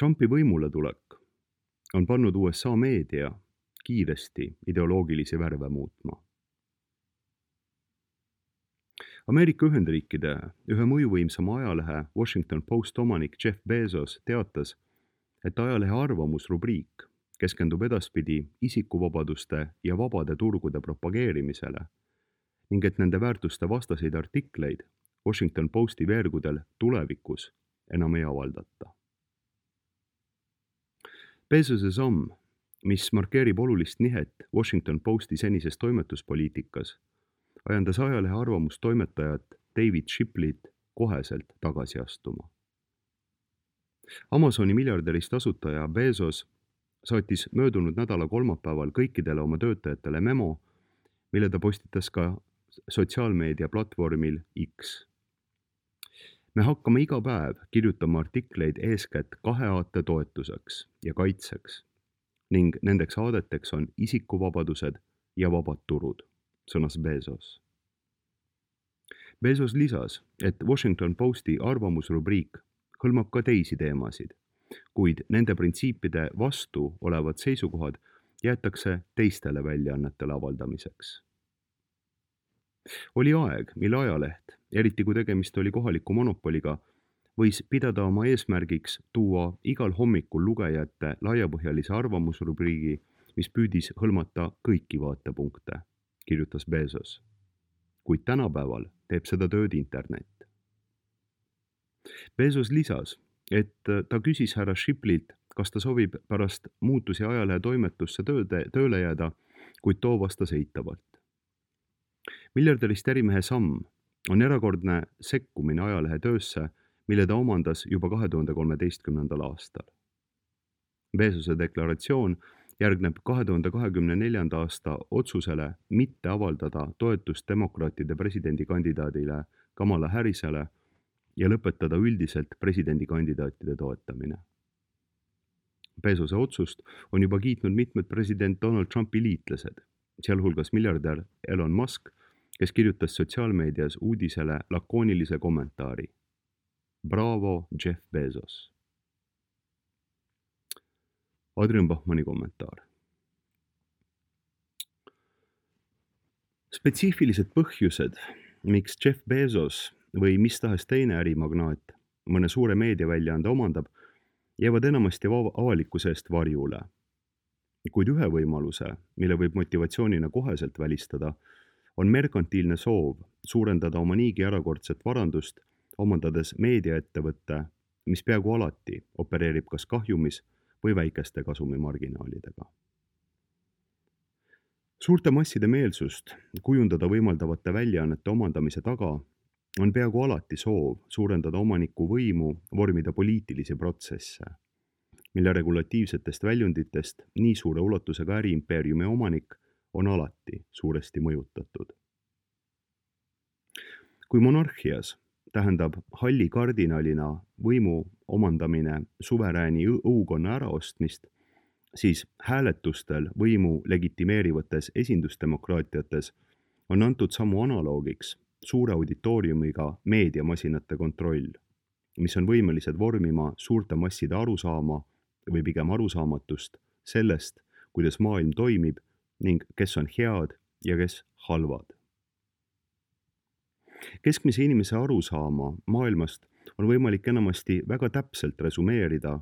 Trumpi võimule tulek on pannud USA meedia kiiresti ideoloogilisi värve muutma. Ameerika Ühendriikide ühe mõjuvõimsama ajalehe Washington Post omanik Jeff Bezos teatas, et ajalehe arvamusrubriik keskendub edaspidi isikuvabaduste ja vabade turgude propageerimisele ning et nende väärtuste vastaseid artikleid Washington Posti veergudel tulevikus enam ei avaldata. Bezose samm, mis markeerib olulist nihet Washington Posti senises toimetuspoliitikas, ajandas ajalehe arvamustoimetajat David Shipleyt koheselt tagasi astuma. Amazoni miljardärist asutaja Bezos saatis möödunud nädala kolmapäeval kõikidele oma töötajatele memo, mille ta postitas ka sotsiaalmeedia platvormil X. Me hakkame iga päev kirjutama artikleid eeskätt kahe aate toetuseks ja kaitseks ning nendeks aadeteks on isikuvabadused ja vabad turud, sõnas Bezos. Bezos lisas, et Washington Posti arvamusrubriik hõlmab ka teisi teemasid, kuid nende printsiipide vastu olevad seisukohad jäetakse teistele väljaannetele avaldamiseks. Oli aeg, mil ajaleht, eriti kui tegemist oli kohaliku monopoliga, võis pidada oma eesmärgiks tuua igal hommikul lugejate laiapõhjalise arvamusrubriigi, mis püüdis hõlmata kõiki vaatepunkte, kirjutas Bezos. Kuid tänapäeval teeb seda tööd internet. Bezos lisas, et ta küsis härra Shipleylt, kas ta sobib pärast muutusi ajalehe toimetusse tööle jääda, kuid too vastas eitavalt. Miljardärist ärimehe samm on erakordne sekkumine ajalehe töösse, mille ta omandas juba 2013. aastal. Bezose deklaratsioon järgneb 2024. aasta otsusele mitte avaldada toetust demokraatide presidendikandidaadile Kamala Harrisele ja lõpetada üldiselt presidendikandidaatide toetamine. Bezose otsust on juba kiitnud mitmed president Donald Trumpi liitlased, sealhulgas miljardär Elon Musk, kes kirjutas sotsiaalmeedias uudisele lakoonilise kommentaari. Bravo, Jeff Bezos. Adrian Bachmanni kommentaar. Spetsiifilised põhjused, miks Jeff Bezos või mis tahes teine ärimagnaat mõne suure meediaväljaande omandab, jäävad enamasti avalikkuse eest varjule. Kuid ühe võimaluse, mille võib motivatsioonina koheselt välistada, on merkantiilne soov suurendada oma niigi erakordset varandust, omandades meediaettevõtte, mis peaaegu alati opereerib kas kahjumis või väikeste kasumimarginaalidega. Suurte masside meelsust kujundada võimaldavate väljaannete omandamise taga on peaaegu alati soov suurendada omaniku võimu vormida poliitilisi protsesse, mille regulatiivsetest väljunditest nii suure ulatusega äriimpeeriumi omanik on alati suuresti mõjutatud. Kui monarhias tähendab halli kardinalina võimu omandamine suverääni õukonna äraostmist, siis hääletustel võimu legitimeerivates esindusdemokraatiates on antud sammu analoogiks suure auditooriumiga meediamasinate kontroll, mis on võimelised vormima suurte masside arusaama või pigem arusaamatust sellest, kuidas maailm toimib ning kes on head ja kes halvad. Keskmise inimese arusaama maailmast on võimalik enamasti väga täpselt resumeerida,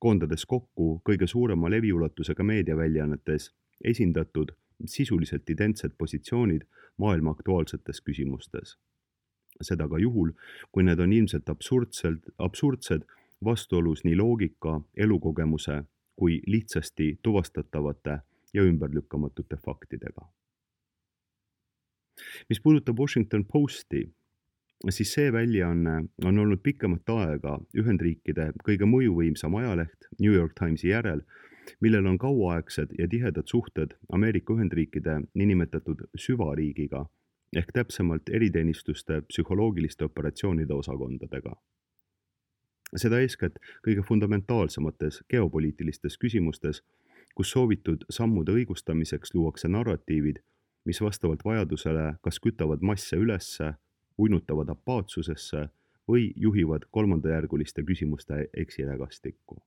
koondades kokku kõige suurema leviulatusega meediaväljaannetes esindatud sisuliselt identsed positsioonid maailma aktuaalsetes küsimustes. Seda ka juhul, kui need on ilmselt absurdsed vastuolus nii loogika, elukogemuse kui lihtsasti tuvastatavate ja ümberlükkamatute faktidega. Mis puudutab Washington Posti, siis see väljaanne on olnud pikemat aega Ühendriikide kõige mõjuvõimsam ajaleht New York Timesi järel, millel on kauaaegsed ja tihedad suhted Ameerika Ühendriikide niinimetatud süvariigiga ehk täpsemalt eriteenistuste psühholoogiliste operatsioonide osakondadega. Seda eeskätt kõige fundamentaalsemates geopoliitilistes küsimustes, kus soovitud sammude õigustamiseks luuakse narratiivid, mis vastavalt vajadusele kas kütavad masse ülesse, uinutavad apaatsusesse või juhivad kolmandajärguliste küsimuste eksirägastikku.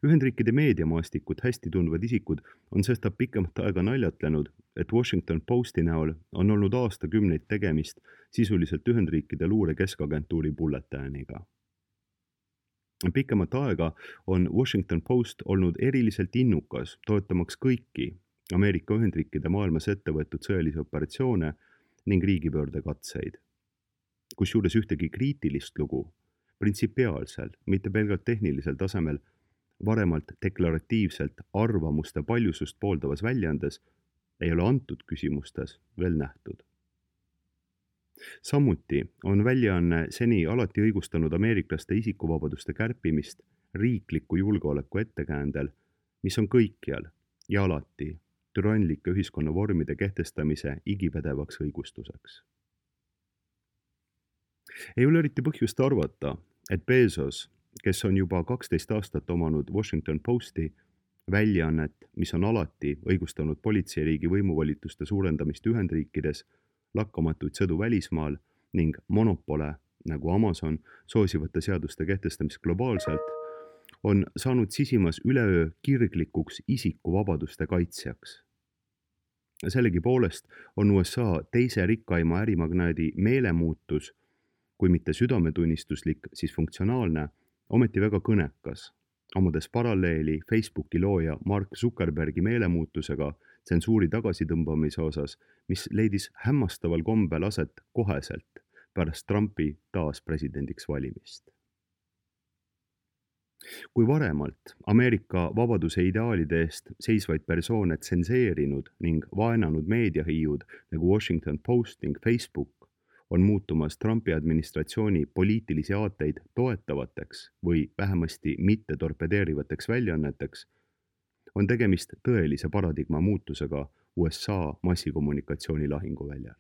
Ühendriikide meediamaastikut hästi tundvad isikud on sestap pikemat aega naljatlenud, et Washington Posti näol on olnud aastakümneid tegemist sisuliselt Ühendriikide luure keskagentuuri bulletääniga. Pikemat aega on Washington Post olnud eriliselt innukas toetamaks kõiki Ameerika Ühendriikide maailmas ette võetud sõjalisi operatsioone ning riigipöördekatseid. Kusjuures ühtegi kriitilist lugu printsipiaalsel, mitte pelgalt tehnilisel tasemel, varemalt deklaratiivselt arvamuste paljusust pooldavas väljaandes ei ole antud küsimustes veel nähtud. Samuti on väljaanne seni alati õigustanud ameeriklaste isikuvabaduste kärpimist riikliku julgeoleku ettekäändel, mis on kõikjal ja alati türanlike ühiskonnavormide kehtestamise igipädevaks õigustuseks. Ei ole eriti põhjust arvata, et Bezos, kes on juba 12 aastat omanud Washington Posti, väljaannet, mis on alati õigustanud politseiriigi võimuvolituste suurendamist Ühendriikides, lakkamatuid sõdu välismaal ning monopole, nagu Amazon, soosivate seaduste kehtestamist globaalselt, on saanud sisimas üleöö kirglikuks isikuvabaduste kaitsjaks. Sellegipoolest on USA teise rikkaima ärimagnaadi meelemuutus, kui mitte südametunnistuslik, siis funktsionaalne, ometi väga kõnekas, omades paralleeli Facebooki looja Mark Zuckerbergi meelemuutusega tsensuuri tagasitõmbamise osas, mis leidis hämmastaval kombel aset koheselt pärast Trumpi taas presidendiks valimist. Kui varemalt Ameerika vabaduse ideaalide eest seisvaid persoone tsenseerinud ning vaenanud meediahiiud nagu Washington Post ning Facebook on muutumas Trumpi administratsiooni poliitilisi aateid toetavateks või vähemasti mitte torpedeerivateks väljaanneteks, on tegemist tõelise paradigma muutusega USA massikommunikatsiooni lahinguväljal.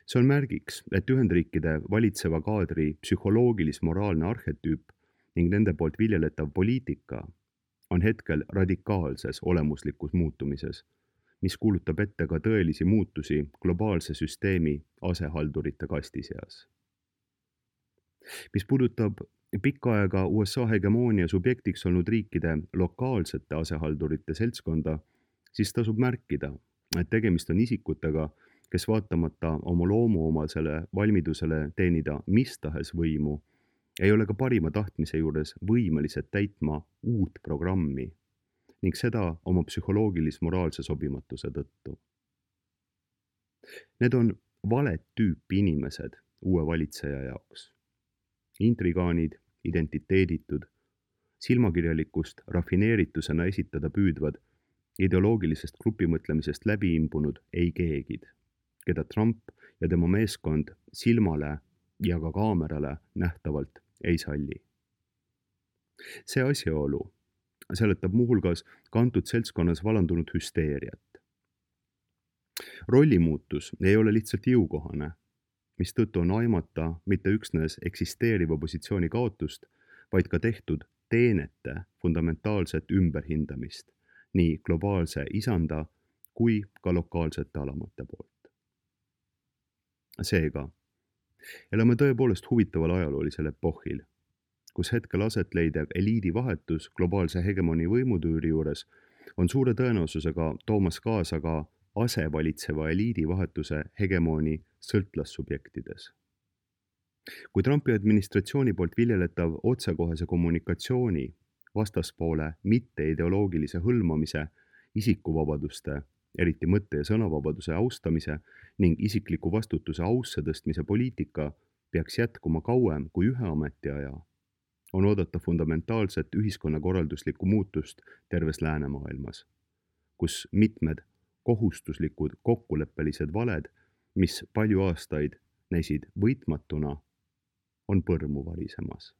See on märgiks, et Ühendriikide valitseva kaadri psühholoogilis-moraalne arhetüüp ning nende poolt viljeletav poliitika on hetkel radikaalses olemuslikus muutumises, mis kuulutab ette ka tõelisi muutusi globaalse süsteemi asehaldurite kasti seas. Mis puudutab pikka aega USA hegemoonia subjektiks olnud riikide lokaalsete asehaldurite seltskonda, siis tasub märkida, et tegemist on isikutega, kes vaatamata oma loomuomasele valmidusele teenida mis tahes võimu, ei ole ka parima tahtmise juures võimelised täitma uut programmi ning seda oma psühholoogilis-moraalse sobimatuse tõttu. Need on valet tüüpi inimesed uue valitseja jaoks. Intrigaanid, identiteeditud, silmakirjalikust rafineeritusena esitada püüdvad, ideoloogilisest grupimõtlemisest läbi imbunud ei keegid, keda Trump ja tema meeskond silmale ja ka kaamerale nähtavalt ei salli. See asjaolu seletab muuhulgas kantud seltskonnas valandunud hüsteeriat. Rollimuutus ei ole lihtsalt jõukohane, mistõttu on aimata mitte üksnes eksisteeriva positsiooni kaotust, vaid ka tehtud teenete fundamentaalset ümberhindamist nii globaalse isanda kui ka lokaalsete alamate poolt. Seega, elame tõepoolest huvitaval ajaloolisel epohhil, kus hetkel aset leidev eliidi vahetus globaalse hegemoni võimutüüri juures on suure tõenäosusega toomas kaasa ka asevalitseva eliidi vahetuse hegemoni sõltlassubjektides. Kui Trumpi administratsiooni poolt viljeletav otsekohese kommunikatsiooni, vastaspoole mitte-ideoloogilise hõlmamise, isikuvabaduste, eriti mõtte- ja sõnavabaduse austamise ning isikliku vastutuse ausse tõstmise poliitika peaks jätkuma kauem kui ühe ametiaja, on oodata fundamentaalset ühiskonnakorralduslikku muutust terves läänemaailmas, kus mitmed kohustuslikud kokkuleppelised valed, mis palju aastaid näisid võitmatuna, on põrmu varisemas.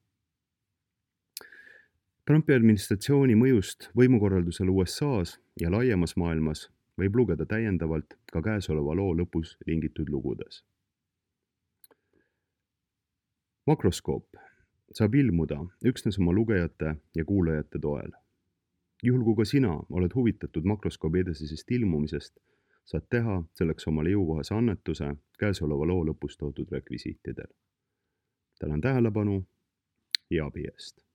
Trumpi administratsiooni mõjust võimukorraldusele USA-s ja laiemas maailmas võib lugeda täiendavalt ka käesoleva loo lõpus lingitud lugudes. Makroskoop saab ilmuda üksnes oma lugejate ja kuulajate toel. Juhul kui ka sina oled huvitatud makroskoobi edasisest ilmumisest, saad teha selleks omale jõukohase annetuse käesoleva loo lõpus toodud rekvisiitidel. Tänan tähelepanu ja abi eest!